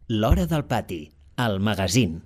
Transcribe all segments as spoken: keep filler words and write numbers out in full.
L'Hora del Pati, el magazín.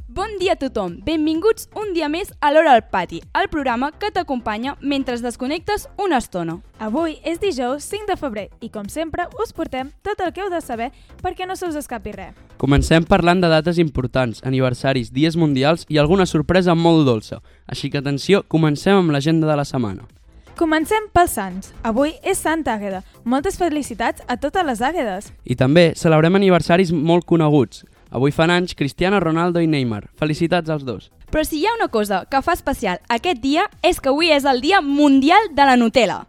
Bon dia a tothom, benvinguts un dia més a l'Hora del Pati, el programa que t'acompanya mentre es desconnectes una estona. Avui és dijous cinc de febrer i, com sempre, us portem tot el que heu de saber perquè no se us escapi res. Comencem parlant de dates importants, aniversaris, dies mundials i alguna sorpresa molt dolça. Així que atenció, comencem amb l'agenda de la setmana. Comencem pels Sants. Avui és Santa Àgueda. Moltes felicitats a totes les Àguedes. I també celebrem aniversaris molt coneguts. Avui fan anys Cristiano Ronaldo i Neymar. Felicitats als dos. Però si hi ha una cosa que fa especial aquest dia és que avui és el Dia Mundial de la Nutella.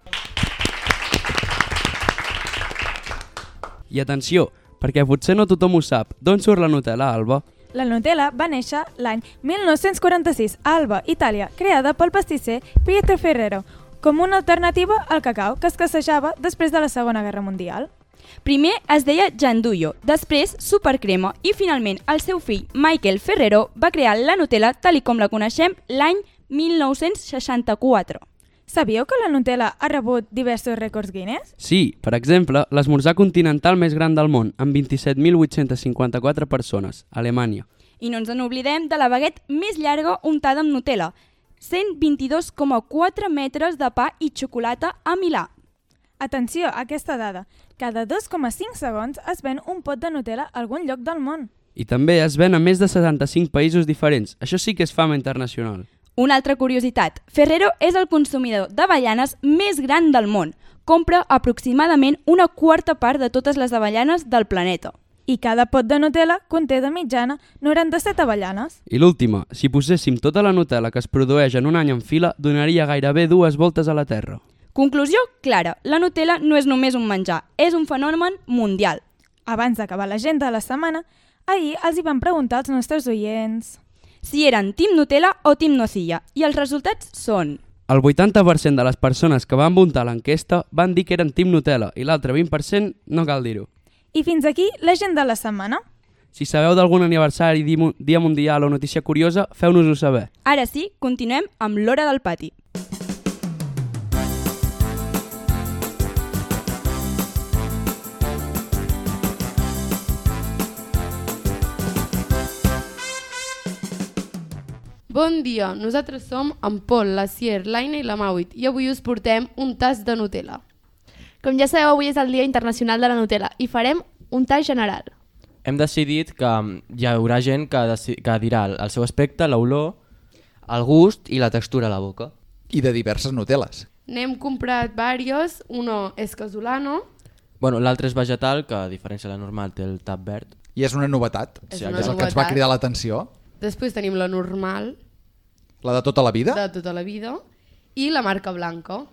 I atenció, perquè potser no tothom ho sap. D'on surt la Nutella, Alba? La Nutella va néixer l'any mil nou-cents quaranta-sis a Alba, Itàlia, creada pel pastisser Pietro Ferrero, com una alternativa al cacau que escassejava després de la Segona Guerra Mundial. Primer es deia Gianduio, després Supercrema i finalment el seu fill Michael Ferrero va crear la Nutella tal i com la coneixem l'any mil nou-cents seixanta-quatre. Sabíeu que la Nutella ha rebut diversos rècords Guinness? Sí, per exemple, l'esmorzar continental més gran del món, amb vint-i-set mil vuit-cents cinquanta-quatre persones, a Alemanya. I no ens n'oblidem de la baguette més llarga untada amb Nutella, cent vint-i-dos coma quatre metres de pa i xocolata a Milà. Atenció a aquesta dada. Cada dos coma cinc segons es ven un pot de Nutella a algun lloc del món. I també es ven a més de setanta-cinc països diferents. Això sí que és fama internacional. Una altra curiositat. Ferrero és el consumidor d'avellanes més gran del món. Compra aproximadament una quarta part de totes les avellanes del planeta. I cada pot de Nutella conté de mitjana noranta-set avellanes. I l'última, si poséssim tota la Nutella que es produeix en un any en fila, donaria gairebé dues voltes a la Terra. Conclusió clara, la Nutella no és només un menjar, és un fenomen mundial. Abans d'acabar l'agenda de la setmana, ahir els hi van preguntar als nostres oients si eren Team Nutella o Team Nocilla, i els resultats són... El vuitanta per cent de les persones que van votar l'enquesta van dir que eren Team Nutella i l'altre vint per cent no cal dir-ho. I fins aquí l'agenda de la setmana. Si sabeu d'algun aniversari, dia mundial o notícia curiosa, feu-nos-ho saber. Ara sí, continuem amb l'Hora del Pati. Bon dia, nosaltres som en Pol, la Sier, l'Aina i la Mauit i avui us portem un tas de Nutella. Com ja sabeu, avui és el Dia Internacional de la Nutella i farem un tas general. Hem decidit que hi haurà gent que, que dirà el seu aspecte, l'olor, el gust i la textura a la boca. I de diverses Nuteles. N'hem comprat diversos, uno és casolano. Bueno, l'altre és vegetal, que a diferència de la normal té el tap verd. I és una novetat, És sí, una és el novetat. que ens va cridar l'atenció. Després tenim la normal, La de tota la vida, de tota la vida, i la marca blanca.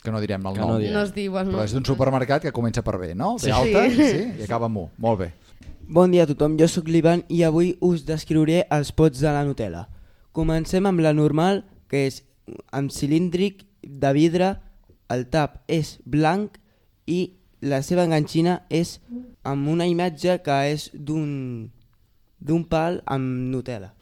que no direm el Que nom, no direm. No es diu el nom. però és d'un supermercat que comença per B, no? Sí. B alta, Sí. sí, i acaba amb U. Molt bé. Bon dia a tothom, jo sóc l'Ivan i avui us descriuré els pots de la Nutella. Comencem amb la normal, que és amb cilíndric de vidre, el tap és blanc i la seva enganxina és amb una imatge que és d'un d'un pal amb Nutella.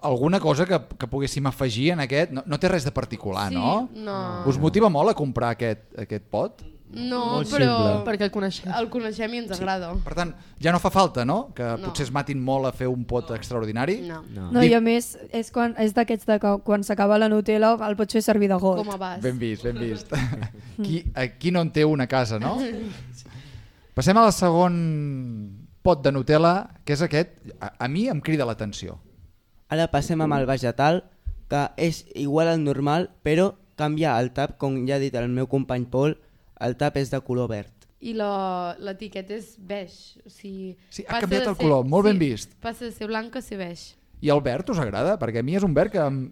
Alguna cosa que, que poguéssim afegir en aquest? No, no té res de particular, Sí, no? no. Us motiva molt a comprar aquest, aquest pot? No, Molt però simple. Perquè el coneixem. el coneixem i ens agrada. Per tant, ja no fa falta, no? Que No. potser es matin molt a fer un pot extraordinari? No, No, i a més, és, quan, és d'aquests de que quan s'acaba la Nutella el pots fer servir de got. com a vas. Ben vist, ben vist. Qui, aquí no en té una casa, no? Passem al segon pot de Nutella, que és aquest. A, a mi em crida l'atenció. Ara passem amb el vegetal, que és igual al normal, però canvia el tap, com ja ha dit el meu company Pol, el tap és de color verd. I la- l'etiqueta és beix. O sigui, Sí, ha passa canviat de el color, molt ben vist. Passa de ser blanc a ser beix. I el verd us agrada? Perquè a mi és un verd que em,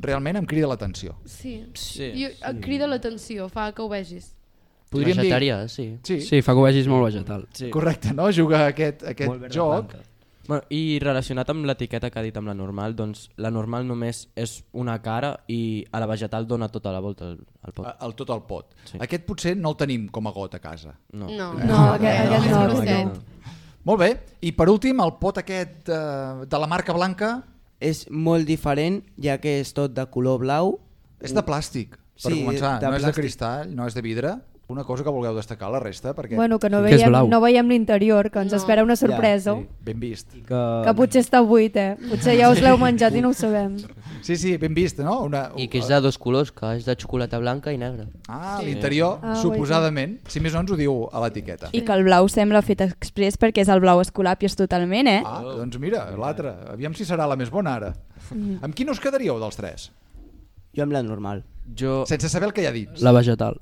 realment em crida l'atenció. Sí, Sí, I et crida l'atenció, fa que ho vegis. Podríem dir... Vegetarià, sí. Sí, Sí, fa que ho vegis molt vegetal. sí. correcte, no? Juga aquest, aquest Molt verd joc. blanca. Bueno, i relacionat amb l'etiqueta que ha dit amb la normal, doncs la normal només és una cara i a la vegetal dona tota la volta al, al pot. El, tot el pot. Sí. Aquest potser no el tenim com a got a casa. No. No, No, aquest, aquest no. grosset. no. Molt bé, i per últim el pot aquest eh, de la marca blanca. és molt diferent, ja que és tot de color blau. És de plàstic, per Sí, començar. de No és de plàstic. cristall, no és de vidre. Una cosa que vulgueu destacar la resta, perquè... Bueno, que no Que és veiem, blau. no veiem l'interior, que ens No. espera una sorpresa. Ja, sí. Ben vist. Que... Que potser està buit, eh? Potser ja us l'heu menjat i no ho sabem. Sí, sí, ben vist, no? Una... I que és de dos colors, que és de xocolata blanca i negra. Ah, l'interior, Ah, suposadament. Si més no ens ho diu a l'etiqueta. I que el blau sembla fet express perquè és el blau escolapios totalment, eh? Ah, doncs mira, l'altra. Aviam si serà la més bona ara. Amb quin us quedaríeu dels tres? Jo amb la normal. Jo... Sense saber el que hi ha dins. La vegetal.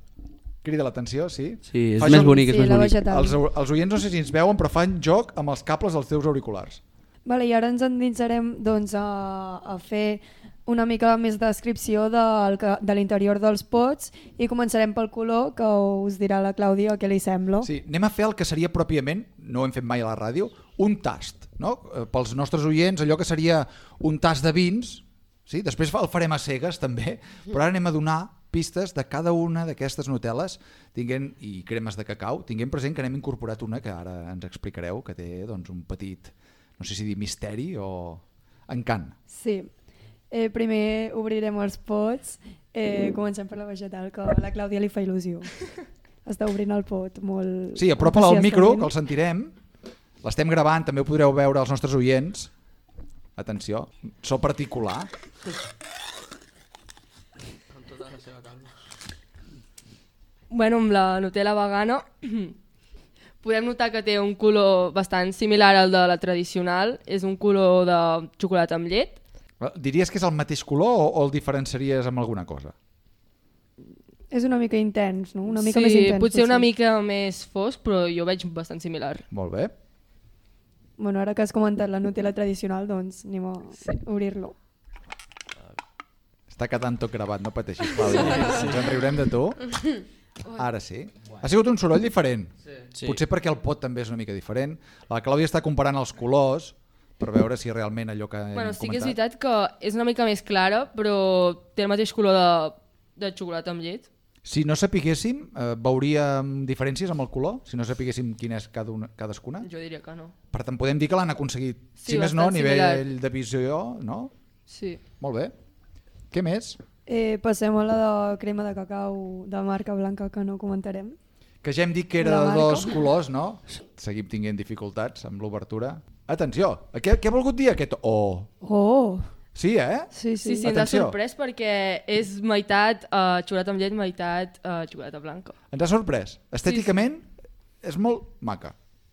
Crida l'atenció, sí? Sí, és Fa més joc- bonic, és Sí, més la bonic. vegetal. Els, els oients no sé si ens veuen, però fan joc amb els cables dels teus auriculars. Vale, I ara ens endinsarem doncs, a, a fer una mica més de descripció del, que- de l'interior dels pots i començarem pel color, que us dirà la Clàudia què li sembla. Sí, anem a fer el que seria pròpiament, no ho hem fet mai a la ràdio, un tast. No? Eh, Pels nostres oients, allò que seria un tast de vins, sí? Després el farem a cegues també, però ara anem a donar pistes de cada una d'aquestes Nutel·les tinguent, i cremes de cacau, tinguent present que n'hem incorporat una que ara ens explicareu, que té doncs, un petit, no sé si dir misteri o encant. Sí. Eh, primer obrirem els pots. Eh, comencem per la vegetal, que a la Clàudia li fa il·lusió. Està obrint el pot molt... Sí, apropa-la al micro, que entusiastament. el sentirem. L'estem gravant, també ho podreu veure als nostres oients. Atenció, so particular. Bueno, amb la Nutella vegana podem notar que té un color bastant similar al de la tradicional. És un color de xocolata amb llet. Diries que és el mateix color o, o el diferenciaries amb alguna cosa? És una mica intens, no? Una mica sí, més intens. potser una mica més fosc, però jo veig bastant similar. Molt bé. Bueno, ara que has comentat la Nutella tradicional, doncs anem a sí. obrir-lo. Està quedant tot gravat, no pateixis, Clàudia. Ens en riurem de tu. Ara sí. Ha sigut un soroll diferent. Sí. Potser perquè el pot també és una mica diferent. La Clàudia està comparant els colors per veure si realment allò que hem Bueno, sí que és comentat... veritat que és una mica més clara, però té el mateix color de, de xocolata amb llet. Si no sapiguéssim, eh, veuríem diferències amb el color? Si no sapiguéssim quina és cada una, cadascuna? Jo diria que no. Per tant, podem dir que l'han aconseguit, Sí, si més no, a bastant nivell similar. de visió, no? Sí. Molt bé. Què més? Eh, passem a la de crema de cacau de marca blanca, que no comentarem. Que ja hem dit que era La de marca. dos colors, no? Seguim tinguent dificultats amb l'obertura. Atenció, què, què ha volgut dir aquest O? Oh! Sí, eh? Sí, Sí, sí. sí, ens ha Atenció. sorprès perquè és meitat uh, xocolata amb llet, meitat uh, xocolata blanca. Ens ha sorprès. Estèticament és molt maca.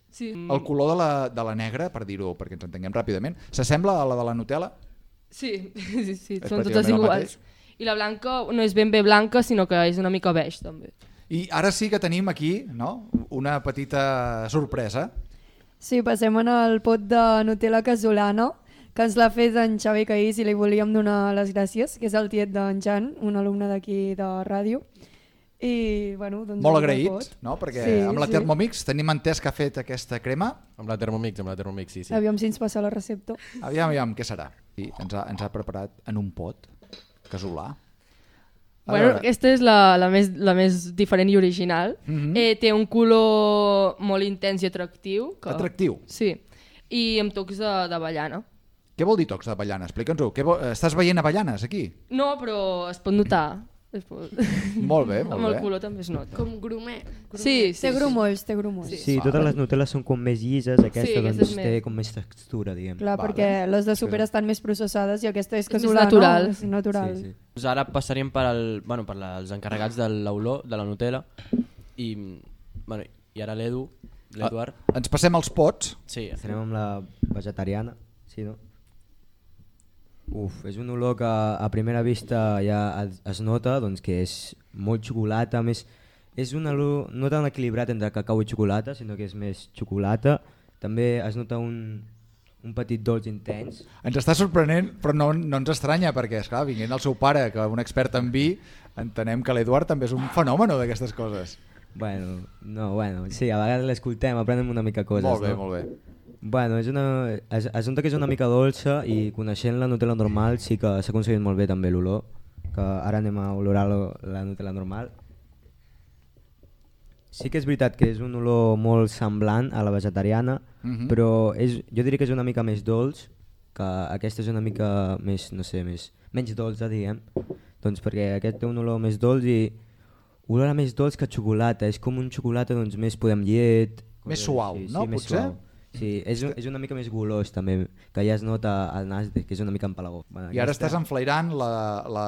Sí. El color de la, de la negra, per dir-ho, perquè ens entenguem ràpidament, s'assembla a la de la Nutella? Sí, sí, sí, És són pràcticament totes el iguals. I la blanca no és ben bé blanca, sinó que és una mica beix, també. I ara sí que tenim aquí, no?, una petita sorpresa. Sí, passem en el pot de Nutella casolana, que ens l'ha fet en Xavi Caís i li volíem donar les gràcies, que és el tiet d'en Jan, un alumne d'aquí de ràdio. I, bueno, doncs Molt el agraït, pot. no? Perquè Sí, amb la sí. Thermomix tenim entès que ha fet aquesta crema. Amb la Thermomix, amb la Thermomix, sí, sí. Aviam si ens passa la recepta. Aviam, aviam, què serà? Sí, ens ha, ens ha preparat en un pot casolà. A Bueno, veure. aquesta és la, la, més, la més diferent i original. Mhm. eh, té un color molt intens i atractiu. Que... Atractiu? Sí. I amb tocs de- d'avellana. Què vol dir tocs d'avellana? Explica'ns-ho. Què vol... Estàs veient avellanes aquí? No, però es pot notar. Es pot... Molt bé, molt amb el bé. color també es nota. Com grumet. Sí, sí, Té sí. grumolls, té grumolls. Sí, totes les Nutelles són com més llises, aquesta Sí, aquesta doncs és té més- com més textura, diguem. Clar, Vale. perquè les de super estan més processades i aquesta és És més casolana. natural. És natural. Sí, sí. Doncs ara passaríem per, al, bueno, per la, els encarregats de l'olor, de la Nutella, i, bueno, i ara l'Edu, l'Eduard. Ah, ens passem als pots. Sí, Estarem amb la vegetariana, sí, no? Uf, és un olor que a primera vista ja es, es nota doncs, que és molt xocolata, més és un olor no tan equilibrat entre cacau i xocolata, sinó que és més xocolata. També es nota un, un petit dolç intens. Ens està sorprenent, però no, no ens estranya, perquè, esclar, vinguent el seu pare, que un expert en vi, entenem que l'Eduard també és un fenòmeno d'aquestes coses. Bueno, no, bueno, sí, a vegades l'escoltem, aprenem una mica coses. Molt bé, no? molt bé. Bueno, és una, es, es nota que és una mica dolça i coneixent la Nutella normal sí que s'ha aconseguit molt bé també l'olor, que ara anem a olorar lo- la Nutella normal. Sí que és veritat que és un olor molt semblant a la vegetariana, Mhm. però és, jo diria que és una mica més dolç que aquesta és una mica més, no sé, més, menys dolça, diguem, doncs perquè aquest té un olor més dolç i olor més dolç que xocolata, és com un xocolata doncs, més podem llet... Més suau, sí, no? Sí, més Potser? suau. Sí, és, és una mica més golós també, que ja es nota al nas que és una mica empalagós. Bueno, I ara estàs enflairant la, la,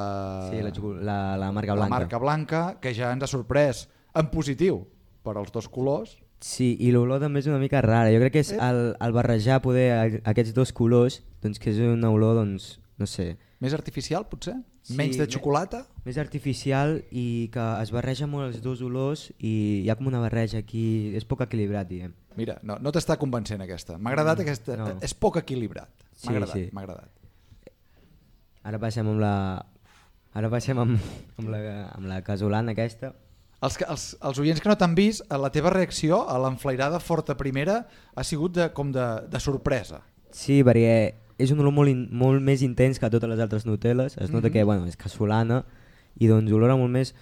sí, la, la, la marca blanca. La marca blanca, que ja ens ha sorprès en positiu per als dos colors. Sí, i l'olor també és una mica rara. Jo crec que és el, el barrejar poder aquests dos colors, doncs que és una olor, doncs, no sé... Més artificial, potser? Sí, Menys de xocolata? Més artificial i que es barreja molt els dos olors i hi ha com una barreja aquí, és poc equilibrat, diguem. Mira, no, no t'està convencent aquesta. M'ha agradat Mm, aquesta, no. és poc equilibrat. M'ha Sí, agradat, sí. m'ha agradat. Ara passem amb la... Ara passem amb, amb, la, amb la casolana aquesta. Els, que- els, els oients que no t'han vist, la teva reacció a l'enflairada forta primera ha sigut de, com de, de sorpresa. Sí, perquè és un olor molt, in, molt més intens que totes les altres Nutellas. Es nota Mhm. que bueno, és casolana i doncs olora molt més...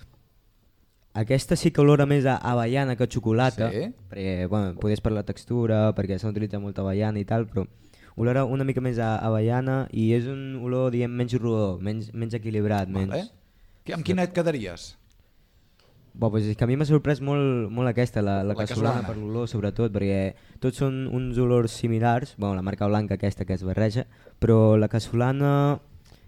Aquesta sí que olora més a avellana que a xocolata, Sí. perquè bueno, podés per la textura, perquè s'ha utilitzat molta avellana i tal, però olora una mica més a avellana i és un olor diguem, menys rodó, menys, menys equilibrat. Menys... Vale. Que- Amb quina et quedaries? Bo, pues és que a mi m'ha sorprès molt, molt aquesta, la, la, La casolana, casolana. per l'olor sobretot, perquè tots són uns olors similars, bueno, la marca blanca aquesta que es barreja, però la casolana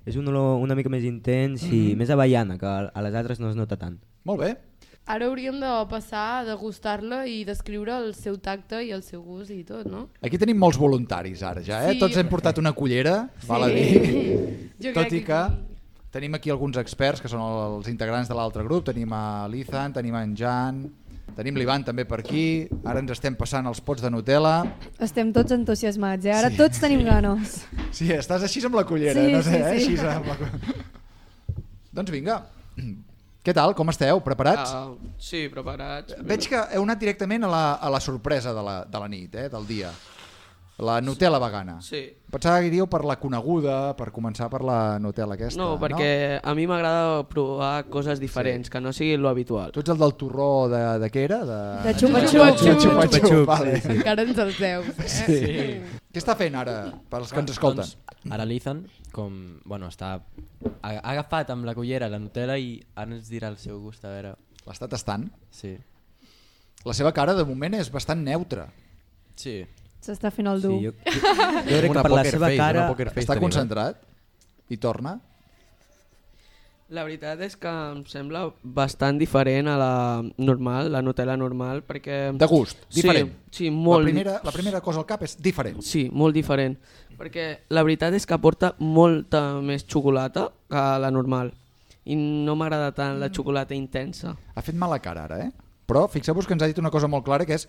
és un olor una mica més intens i Mhm. més avellana, que a a les altres no es nota tant. Molt bé. Ara hauríem de passar a degustar-la i descriure el seu tacte i el seu gust i tot, no? Aquí tenim molts voluntaris ara ja, eh? Sí. Tots hem portat una cullera, Sí. val a dir. Jo Tot crec i que que tenim aquí alguns experts que són els integrants de l'altre grup. Tenim a l'Ethan, tenim en Jan, tenim l'Ivan també per aquí. Ara ens estem passant els pots de Nutella. Estem tots entusiasmats, eh? Ara Sí. tots tenim ganes. Sí, estàs així amb la cullera, Sí, no sé, sí, eh? sí. Així amb la... Doncs vinga. Què tal? Com esteu? Preparats? Uh, sí, preparats. Veig que heu anat directament a la, a la sorpresa de la, de la nit, eh? Del dia. La Nutella vegana. Sí. Pensava que iríeu per la coneguda, per començar per la Nutella aquesta. No, perquè a mi m'agrada provar coses diferents, que no sigui lo habitual. Tu ets el del torró de, de què era? De, De xupa-xup. De xupa-xup, Xupa-xup, vale. sí, sí. Encara ens els deus, eh? Sí. Què està fent ara, pels que ens escolten? Doncs, ara l'Ethan, com, bueno, està, ha, ha agafat amb la cullera la Nutella i ara ens dirà el seu gust, a veure... L'està tastant? Sí. La seva cara de moment és bastant neutra. Sí. S'està fent el dur. Sí, jo, jo crec que per la seva cara... Està concentrat i torna. La veritat és que em sembla bastant diferent a la normal, la Nutella normal, perquè... De gust, diferent. Sí, sí molt... La primera, la primera cosa al cap és diferent. Sí, molt diferent. Perquè la veritat és que aporta molta més xocolata que la normal. I no m'agrada tant la xocolata intensa. Ha fet mala cara ara, eh? Però fixeu-vos que ens ha dit una cosa molt clara, que és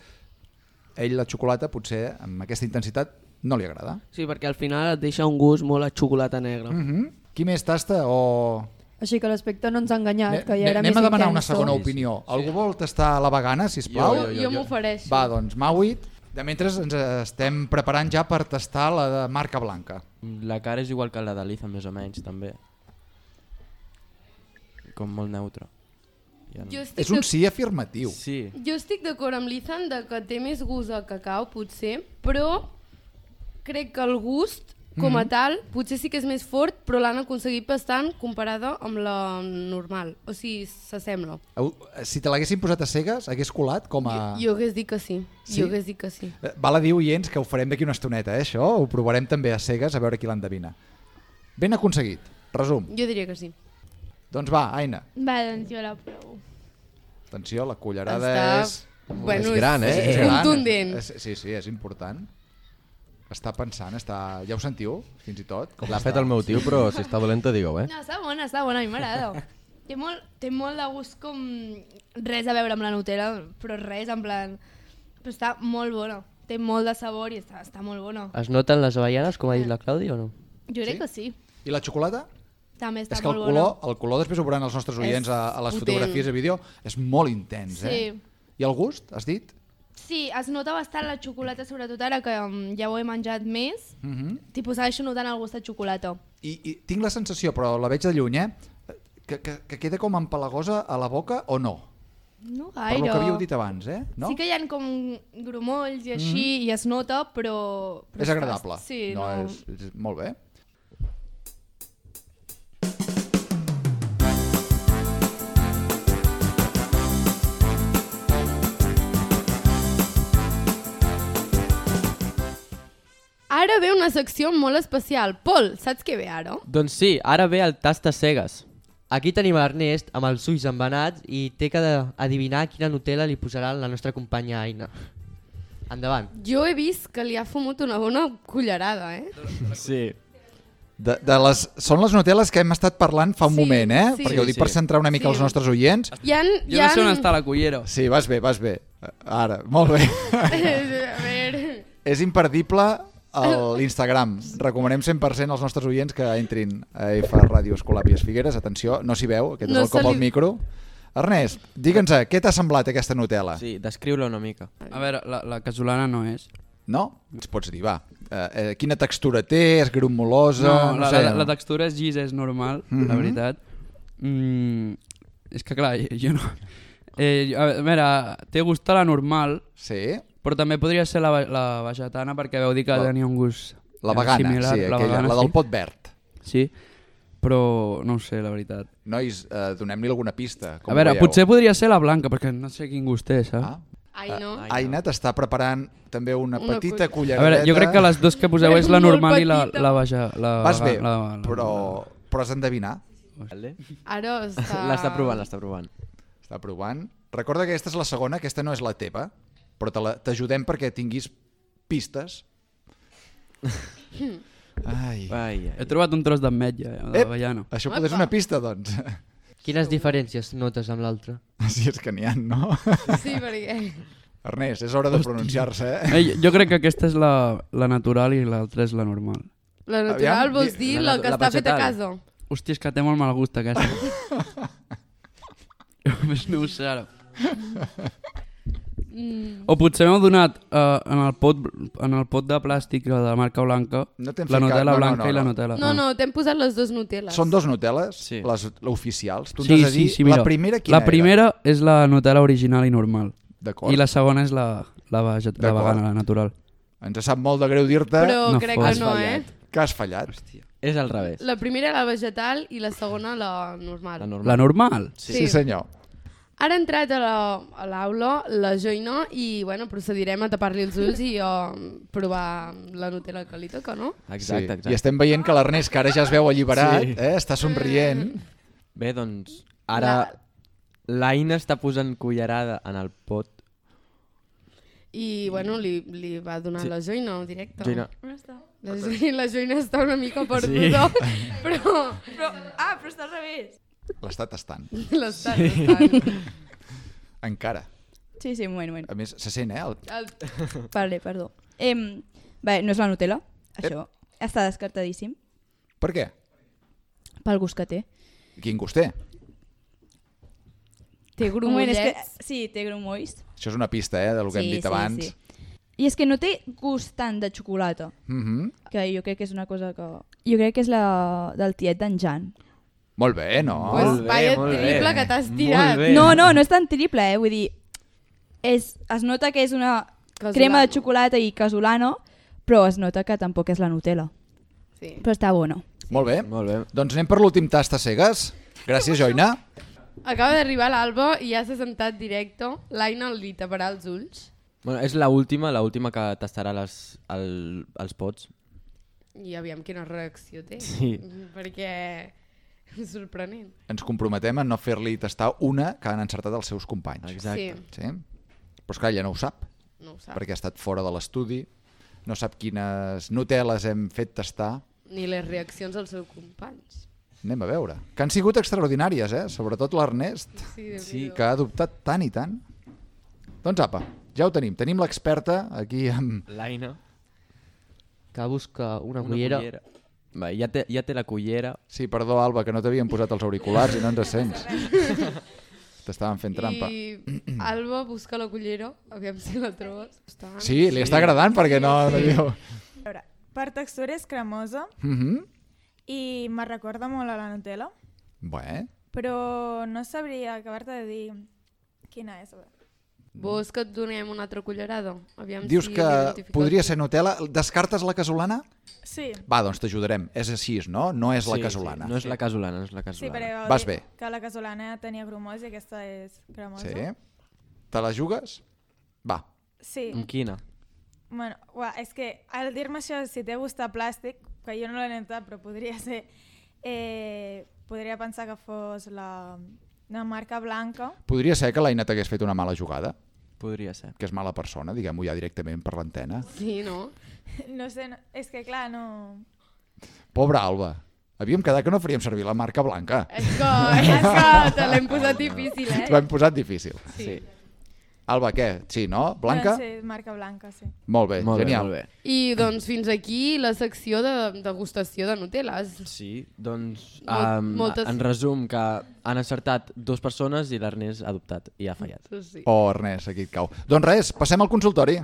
ell la xocolata potser amb aquesta intensitat no li agrada. Sí, perquè al final et deixa un gust molt a xocolata negra. Mm -hmm. Qui més tasta o... Així que l'aspecte no ens ha enganyat, Ne- que ja era Anem més a demanar intenso. una segona opinió. Algú vol tastar la vegana, sisplau? Jo, jo, jo. Jo m'ofereixo. Va, doncs, Mauit. De mentre ens estem preparant ja per tastar la de marca blanca. La cara és igual que la de l'Ethan, més o menys, també. Com molt neutra. Ja no... Jo estic És un de- sí afirmatiu. Sí. Jo estic d'acord amb l'Ethan de que té més gust a cacau, potser, però crec que el gust, com a Mhm. tal, potser sí que és més fort, però l'han aconseguit bastant comparada amb la normal. O sigui, s'assembla. Au, Si te l'haguessin posat a cegues, hagués colat com a... Jo hagués dit que sí. Sí? Jo hagués dit que sí. Eh, Val a dir, oients, que ho farem d'aquí una estoneta, eh, això. Ho provarem també a cegues, a veure qui l'endevina. Ben aconseguit. Resum. Jo diria que sí. Doncs va, Aina. Va, doncs jo la provo. Atenció, la cullerada Està- és... Bueno, És gran, és- eh? és gran. contundent. És, sí, sí, és important. Està pensant, està... ja ho sentiu, fins i tot? Com L'ha està? fet el meu tio, però si està dolenta, digueu, eh? No, està bona, està bona, a mi m'agrada. té, molt, té molt de gust com res a veure amb la Nutella, però res, en plan... Però està molt bona. Té molt de sabor i està, està molt bona. Es noten les avellanes, com ha dit la Clàudia, o no? Jo crec Sí? que sí. I la xocolata? També està És que el molt color, bona. el color després ho veuran els nostres oients a, a les potent. fotografies i vídeo, és molt intens, eh? Sí. I el gust, has dit? Sí, es nota bastant la xocolata, sobretot ara que um, ja ho he menjat més. Mm -hmm. Tipus, segueixo notant el gust de xocolata. I, I tinc la sensació, però la veig de lluny, eh? Que, que, que queda com empalagosa a la boca o no? No Per gaire. lo que havíeu dit abans, eh? No? Sí que hi ha com grumolls i així, Mhm. i es nota, però... però És està- agradable. Sí, no, no... És, és molt bé. Ara ve una secció molt especial. Pol, saps què ve ara? Doncs sí, ara ve el tast a cegues. Aquí tenim l'Ernest amb els ulls embenats i té que adivinar quina Nutella li posarà la nostra companya Aina. Endavant. Jo he vist que li ha fumut una bona cullerada, eh? Sí. De, de les, són les Nutel·les que hem estat parlant fa un Sí, moment, eh? sí. Perquè ho dic Sí, per sí. centrar una mica Sí. els nostres oients. Hi ha, Jo no sé on està la cullera. Sí, vas bé, vas bé. Ara, molt bé. A veure... És imperdible l'Instagram. Recomanem cent per cent als nostres oients que entrin a F Ràdio Escolàpies Figueres. Atenció, no s'hi veu, aquest No és el cop se li- al micro. Ernest, digue'ns, què t'ha semblat aquesta Nutella? Sí, descriu-la una mica. A veure, la, la casolana no és. No? Ens pots dir, va. Eh, eh, quina textura té? És grumolosa? No, la, sé, la, la textura és llis, és normal, Mhm. la veritat. Mm, és que clar, jo no... Eh, a veure, té gust a la normal, sí. però també podria ser la, ve- la vegetana perquè veu dir que La- tenia un gust La vegana, similar. sí, aquella, la del pot verd. Sí, però no ho sé, la veritat. Nois, eh, donem-li alguna pista. Com a veure, ho veieu? potser podria ser la blanca, perquè no sé quin gust té, saps? Ah. Ai, no. Uh, Aina t'està preparant també una, Una petita cull- A culleradeta. veure, jo crec que les dos que poseu és la Molt normal i la, petita. la vega... La, Vas bé, la, la, la, però, però has d'endevinar. Vale. Ara està... L'està provant, l'està provant. Està provant. Recorda que aquesta és la segona, aquesta no és la teva, però te la- t'ajudem perquè tinguis pistes. Ai. Ai, ai. He trobat un tros d'ametlla, eh, Ep, d'avellana. això potser és una pista, doncs. Quines diferències notes amb l'altra? Sí, és que n'hi ha, no? Sí, perquè... Ernest, és hora de pronunciar-se, eh? Ei, jo crec que aquesta és la, la natural i l'altra és la normal. La natural Aviam, vols di- dir la la, que natu- la està feta a vegetal. casa. Hòstia, és que té molt mal gust aquesta. Només no ho sé ara. Mm. O potser m'heu donat uh, en, el pot, en el pot de plàstic de la marca blanca No t'hem la ficat- Nutella no, no, blanca no, i la no. Nutella. No, no, t'hem posat les dues Nutel·les. Són dos Nutelles, Sí. les oficials. Tu ens Sí, has de dir, sí, sí, mira. la primera quina La primera és la Nutella original i normal. era? D'acord. I la segona és la, la, veget la D'acord. vegana, la natural. Ens sap molt de greu dir-te Però No crec fos. que no, eh? que has fallat. És al revés. La primera la vegetal i la segona la normal. La normal. La normal? Sí, Sí. senyor. Ara ha entrat a la- a l'aula la, la Joina i bueno, procedirem a tapar-li els ulls i a provar la Nutella que li toca, no? Exacte, sí. exacte. I estem veient que l'Ernest, que ara ja es veu alliberat, Sí. eh, està somrient. Bé, doncs, ara l'Aina està posant cullerada en el pot. I bueno, li, li va donar Sí. la Joina en directe. Joina. On està? La Joina, la Joina està una mica perduda, Sí. però Però, ah, però està al revés. L'està tastant. l'està tastant. Encara. Sí, sí, un moment, un moment. A més, se sent, eh? El... El... Vale, perdó. Em, bé, no és la Nutella, això. Està descartadíssim Per què? pel gust que té. Quin gust té? Té Un moment, és que, grumollets. sí, té grumolls. Això és una pista, eh, del que hem dit abans. I és que no té gust tant de xocolata, Mhm. que jo crec que és una cosa que... Jo crec que és la del tiet d'en Jan. Molt bé, no? Pues Molt bé, vaya molt bé. triple que t'has Molt tirat. bé. No, no, no és tan triple, eh? Vull dir, és, es nota que és una Casolano. crema de xocolata i casolano, però es nota que tampoc és la Nutella. Sí. Però està bona. Molt bé. Molt bé. Doncs anem per l'últim tast a cegues. Gràcies, Joina. Acaba d'arribar l'Alba i ja s'ha sentat directe. L'Aina li taparà els ulls. Bueno, és l'última, l'última que tastarà les, el, els pots. I aviam quina reacció té. Sí. Perquè és sorprenent. Ens comprometem a no fer-li tastar una que han encertat els seus companys. Exacte. Sí. Sí? Però esclar, ja no ho sap, No ho sap. perquè ha estat fora de l'estudi, no sap quines Nutelles hem fet tastar. Ni les reaccions dels seus companys. Anem a veure. Que han sigut extraordinàries, eh? Sobretot l'Ernest, Sí, Déu Sí. que ha adoptat tant i tant. Doncs apa, ja ho tenim. Tenim l'experta aquí amb... L'Aina. Que busca una, Una cullera. cullera. Va, ja, té, ja té la cullera. Sí, perdó, Alba, que no t'havien posat els auriculars i no ens sents. T'estaven fent trampa. I Alba busca la cullera, aviam si la trobes. Està... Sí, li està agradant perquè no... no diu... A veure, per textura és cremosa Mhm. i me recorda molt a la Nutella, Bé, però no sabria acabar-te de dir Quina és? Vols que et donem una altra cullerada? Aviam Dius si que l'identifiques. podria ser Nutella. Descartes la casolana? Sí. Va, doncs t'ajudarem. És així, no? No és la Sí, casolana. sí, no és la casolana, no és la Sí, casolana. perquè vau Vas dir bé. que la casolana tenia grumós i aquesta és cremosa. Sí. Te la jugues? Va. Sí. Amb quina? Bueno, uah, és que al dir-me això, si té gust a plàstic, que jo no l'he notat, però podria ser... Eh, podria pensar que fos la, la marca blanca. Podria ser que l'Aina t'hagués fet una mala jugada? Podria ser. Que és mala persona, diguem-ho ja directament per l'antena. Sí, no? No sé, no, és que clar, no... Pobra Alba. Havíem quedat que no faríem servir la marca blanca. És que, és que te l'hem posat difícil, eh? T'ho hem posat difícil. Sí. Alba, què? Sí, no? Blanca? Sí, marca blanca, sí. Molt bé, Molt bé, genial. molt bé. I doncs fins aquí la secció de degustació de Nutel·les. Sí, doncs Mol- um, moltes- en resum que han encertat dues persones i l'Ernest ha adoptat i ha fallat. Sí. Oh, Ernest, aquí et cau. Doncs res, passem al consultori.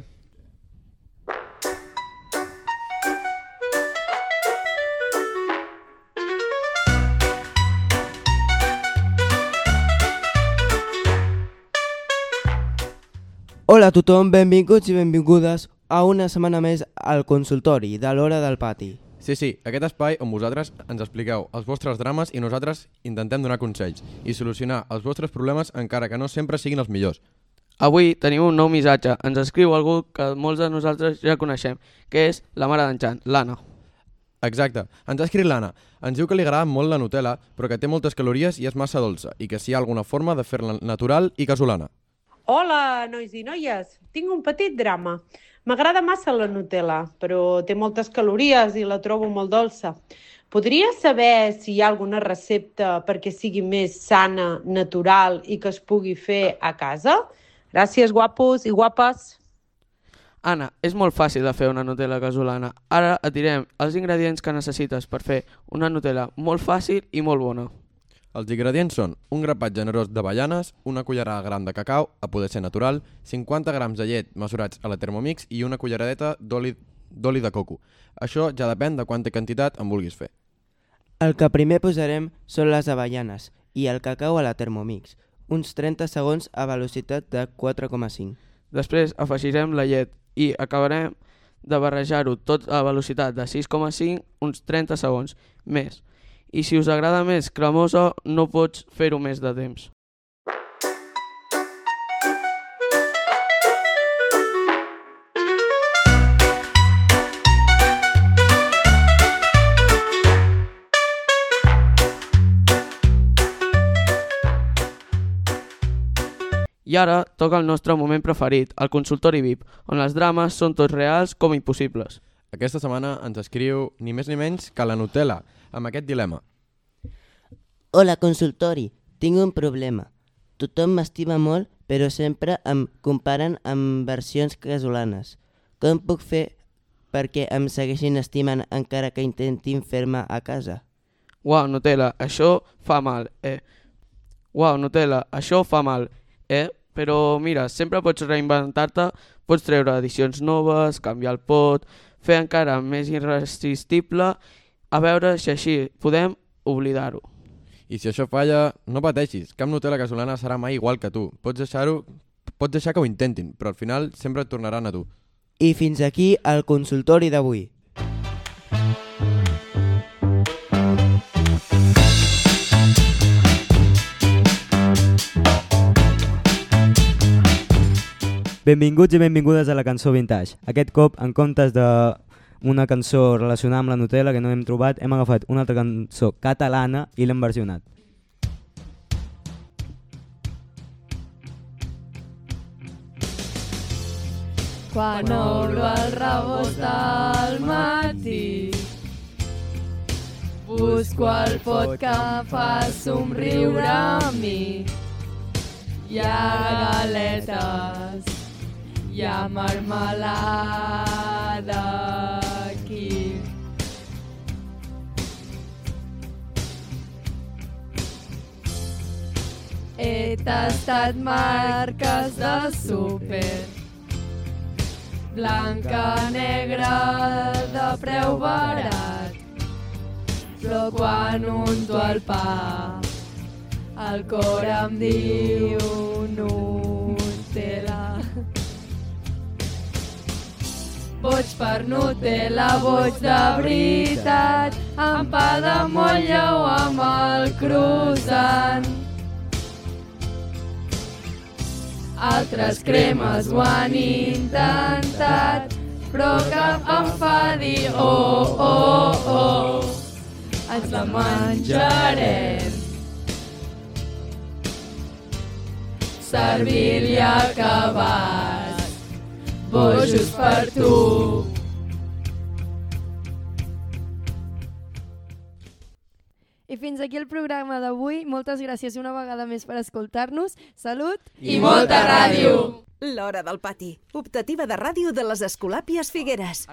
Hola a tothom, benvinguts i benvingudes a una setmana més al consultori de l'Hora del Pati. Sí, sí, aquest espai on vosaltres ens expliqueu els vostres drames i nosaltres intentem donar consells i solucionar els vostres problemes encara que no sempre siguin els millors. Avui tenim un nou missatge. Ens escriu algú que molts de nosaltres ja coneixem, que és la mare d'en Jan, l'Anna. Exacte. Ens ha escrit l'Anna. Ens diu que li agrada molt la Nutella, però que té moltes calories i és massa dolça, i que si hi ha alguna forma de fer-la natural i casolana. Hola, nois i noies. Tinc un petit drama. M'agrada massa la Nutella, però té moltes calories i la trobo molt dolça. Podria saber si hi ha alguna recepta perquè sigui més sana, natural i que es pugui fer a casa? Gràcies, guapos i guapes. Anna, és molt fàcil de fer una Nutella casolana. Ara et direm els ingredients que necessites per fer una Nutella molt fàcil i molt bona. Els ingredients són un grapat generós d'avellanes, una cullerada gran de cacau, a poder ser natural, cinquanta grams de llet mesurats a la Thermomix i una culleradeta d'oli d'oli de coco. Això ja depèn de quanta quantitat en vulguis fer. El que primer posarem són les avellanes i el cacau a la Thermomix, uns trenta segons a velocitat de quatre coma cinc. Després afegirem la llet i acabarem de barrejar-ho tot a velocitat de sis coma cinc uns trenta segons més. I si us agrada més cremosa, no pots fer-ho més de temps. I ara toca el nostre moment preferit, el consultori V I P, on els drames són tots reals com impossibles. Aquesta setmana ens escriu ni més ni menys que la Nutella, amb aquest dilema. Hola, consultori. Tinc un problema. Tothom m'estima molt, però sempre em comparen amb versions casolanes. Com puc fer perquè em segueixin estimant encara que intentin fer-me a casa? Uau, Nutella, això fa mal, eh? Uau, Nutella, això fa mal, eh? Però mira, sempre pots reinventar-te, pots treure edicions noves, canviar el pot, fer encara més irresistible, a veure si així podem oblidar-ho. I si això falla, no pateixis, cap Nutella casolana serà mai igual que tu. Pots deixar-ho, pots deixar que ho intentin, però al final sempre et tornaran a tu. I fins aquí el consultori d'avui. Benvinguts i benvingudes a la cançó Vintage. Aquest cop, en comptes d'una cançó relacionada amb la Nutella que no hem trobat, hem agafat una altra cançó catalana i l'hem versionat. Quan obro el rebost al matí, busco el pot que em fa somriure a mi. Hi ha galetes, hi ha marmelada aquí. He tastat marques de súper, blanca, negra, de preu barat. Però quan unto el pa, El cor em diu Nutella. Boig per Nutella, boig de veritat, amb pa de motlla o amb el croissant. Altres cremes ho han intentat, però cap em fa dir oh, oh, oh. Ens la menjarem. Servir-li acabats, bojos per tu. I fins aquí el programa d'avui. Moltes gràcies una vegada més per escoltar-nos. Salut i molta ràdio! L'Hora del Pati, optativa de ràdio de les Escolàpies Figueres.